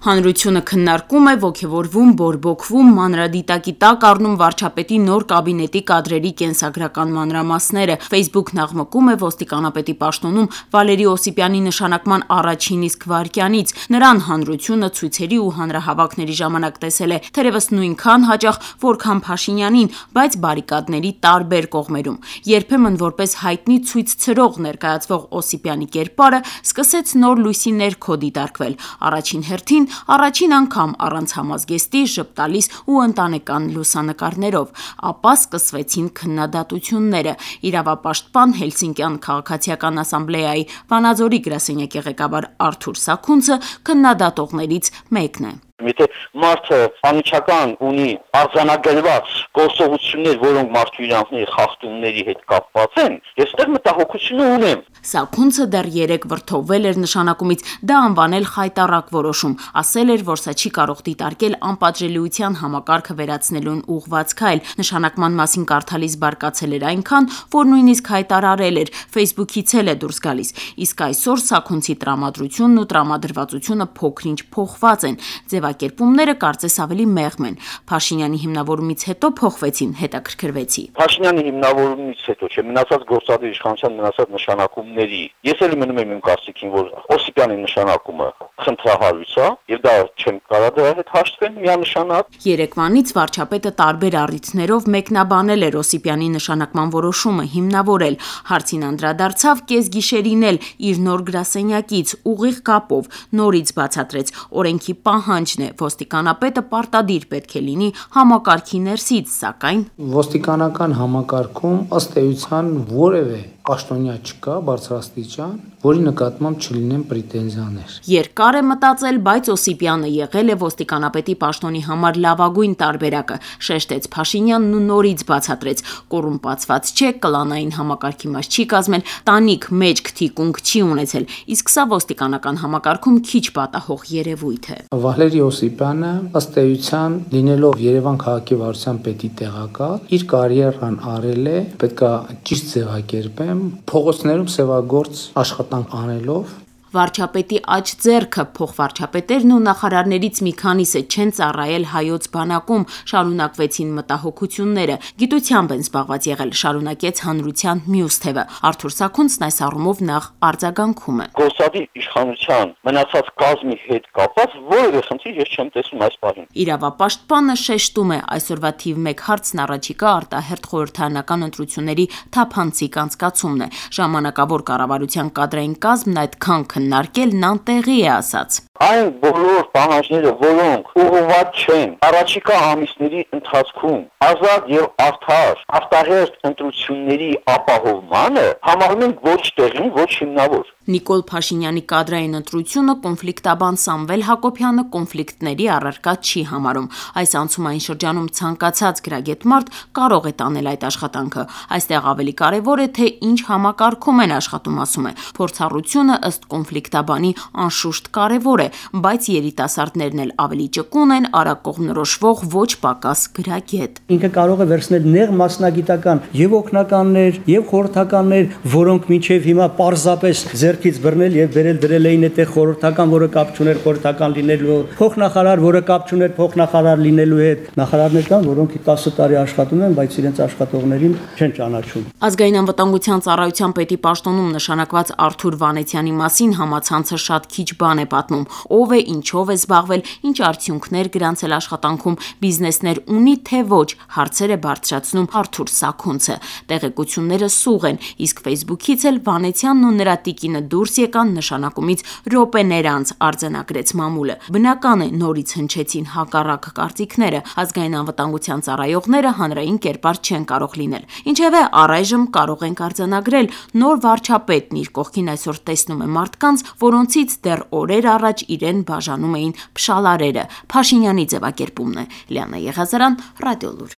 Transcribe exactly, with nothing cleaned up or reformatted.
Հանրությունը քննարկում է, ոգևորվում, բորբոքվում, մանրադիտակի տակ առնում վարչապետի նոր կաբինետի կադրերի կենսագրական մանրամասները։ Facebook նախմկում է ոստիկանապետի պաշտոնում Վալերի Օսիպյանի նշանակման առաջին իսկ վայրկյանից։ Նրան հանրությունը ցույցերի ու հանրահավաքների ժամանակ տեսել է թերևս նույնքան հաճախ, որքան Փաշինյանին, բայց բարիկադների տարբեր կողմերում։ Երբեմն որպես հայտնի ցույց ցրող ներկայացվող Օսիպյանի կերպարը սկսեց նոր լույսի ներքո դիտարկվել։ Առաջին հերթին Առաջին անգամ առանց համազգեստի, ժպտալիս ու ընտանեկան լուսանկարներով, ապա սկսվեցին քննադատությունները։ Իրավապաշտպան Հելսինկյան քաղաքացիական ասամբլեայի Վանաձորի գրասենյակի ղեկավար Արթուր Սաքունցը քննադատողներից մեկն է։ Եթե մարդը անմիջական ունի արձանագրված գործողություններ, որոնք մարդու իրավունքների խախտումների հետ կապված են, ես այդտեղ մտահոգություն ունեմ։ Սաքունցը դեռ երեկ վրդովվել էր նշանակումից, դա անվանել խայտառակ որոշում, ասել էր, որ սա չի կարող դիտարկել անպատժելիության համակարգը վերացնելուն ուղղված քայլ։ Նշանակման մասին կարդալիս բարկացել էր այնքան, որ նույնիսկ հայտարարել էր, Facebook-ից էլ է դուրս գալիս։ Իսկ այսօր Սաքունցի տրամադրությունն ու տրամադրվածությունը փոքր-ինչ փոխված են։ Ձևակերպումները կարծես ավելի մեղմ են։ Փաշինյանի հիմնավորումից հետո փոխվեցին, հետաքրքրվեցի։ Փաշինյանի հիմնավորումից հետո չէ, մնացած գործադիր իշխանության մնացած նշանակումների։ Ես էլ մնում եմ իմ կարծիքին, որ Օսիպյանի նշանակումը խնդրահարույց է, եւ դա չեմ կարող դրա հետ հաշտվել միանշանակ։ Երեկվանից վարչապետը տարբեր առիթներով մեկնաբանել էր Օսիպյանի նշանակման որոշումը, հիմնավորել։ Հարցին անդրադարձավ կեսգիշերին էլ իր նոր գրասենյակից ուղիղ կապով նորից բացատրեց օրենքի պահանջն է, ոստիկանապետը պարտադիր պետք է լինի համակարգի ներսից, սակայն ոստիկանական համակարգում ըստ էության որևէ պաշտոնյա չկա բարձրաստիճան, որի նկատմամբ չլինեն պրետենզիաներ։ Երկար է մտածել, բայց Օսիպյանը եղել է ոստիկանապետի պաշտոնի համար լավագույն տարբերակը, շեշտեց Փաշինյանն ու նորից բացատրեց, կոռումպացված չէ, կլանային համակարգի մաս չի կազմել, տանիք մեջք թիկունք չի ունեցել, իսկ սա ոստիկանական համակարգում քիչ պատահող երևույթ է։ Վալերի Օսիպյանը ըստ էության լինելով Երևան քաղաքի վարչության պետի տեղակալ, իր կարիերան արել է, պետքա ճիշտ ձևակերպեմ, փողոցներում սևագործ աշխատանք անելով։ Վարչապետի աջ ձեռքը փոխվարչապետերն ու նախարարներից մի քանիսը չեն ծառայել հայոց բանակում, շարունակվեցին մտահոգությունները, գիտությամբ են զբաղված եղել, շարունակեց հանրության մյուս թևը։ Արթուր Սաքունցն այս առումով նախ արձագանքում է։ Գործադիր իշխանության մնացած կազմի հետ կապված որևէ խնդիր ես չեմ տեսնում այս պահին։ Իրավապաշտպանը շեշտում է այսօրվա թիվ մեկ հարցն առաջիկա արտահերթ խորհրդարանական ընտրությունների թափանցիկ անցկացումն է։ Ժամանակավոր կառավարության կադրային կազմն այդքան քննարկելն անտեղի է ասաց։ Այն բոլոր պահանջները, որոնք ուղղված չեն առաջիկա ամիսների ընթացքում ազատ եւ արդար արտահերթ ընտրությունների ապահովմանը, համարում են ոչ տեղին, ոչ հիմնավոր։ Նիկոլ Փաշինյանի կադրային ընտրությունը կոնֆլիկտաբան Սամվել Հակոբյանը կոնֆլիկտների առարկա չի համարում։ Այս անցումային շրջանում ցանկացած գրագետ մարդ կարող է տանել այդ աշխատանքը։ Այստեղ ավելի կարևոր է, թե ինչ համակարգում են աշխատում, ասում է։ Փորձառությունը ըստ կոնֆլիկտաբանի անշուշտ կարևոր է, բայց երիտասարդներն էլ ավելի ճկուն են, արագ կողմնորոշվող ոչ պակաս գրագետ։ Ինքը կարող է վերցնել նեղ մասնագիտական եւ օգնականներ, եւ խորհրդականներ, որոնք մինչեւ հիմա պարզապես ձեռքից բռնել եւ վերել դրել էին այդտեղ խորհրդական, որը կապ չուներ խորհրդական լինելու, փոխնախարար, որը կապ չուներ փոխնախարար լինելու հետ։ Նախարարներ կան, որոնք տասը տարի աշխատում են, բայց իրենց աշխատողներին չեն ճանաչում։ Ազգային անվտանգության ծառայության պետի պաշտոնում նշանակված Արթուր Վանեցյանի մասին համացանցը շատ քիչ բան է պատմում։ Ով է, ինչով է զբաղվել, ինչ արդյունքներ գրանցել աշխատանքում, բիզնեսներ ունի թե ոչ, հարցեր է բարձրացնում Արթուր Սաքունցը։ Տեղեկությունները սուղ են, իսկ Facebook-ից էլ Վանեցյանն ու նրա տիկինը դուրս եկան նշանակումից րոպեներ անց, արձանագրեց մամուլը։ Բնական է, նորից հնչեցին հակառակ կարծիքները, ազգային անվտանգության ծառայողները հանրային կերպար չեն կարող լինել։ Ինչևէ, առայժմ կարող ենք արձանագրել, նոր վարչապետն իր կողքին այսօր տեսնում է մարդկանց, որոնցից դեռ օրեր առաջ իրեն բաժանում էին փշալարերը։ Փաշինյանի ձևակերպումն է։ Լիանա Եղազարյան, Ռադիոլուր։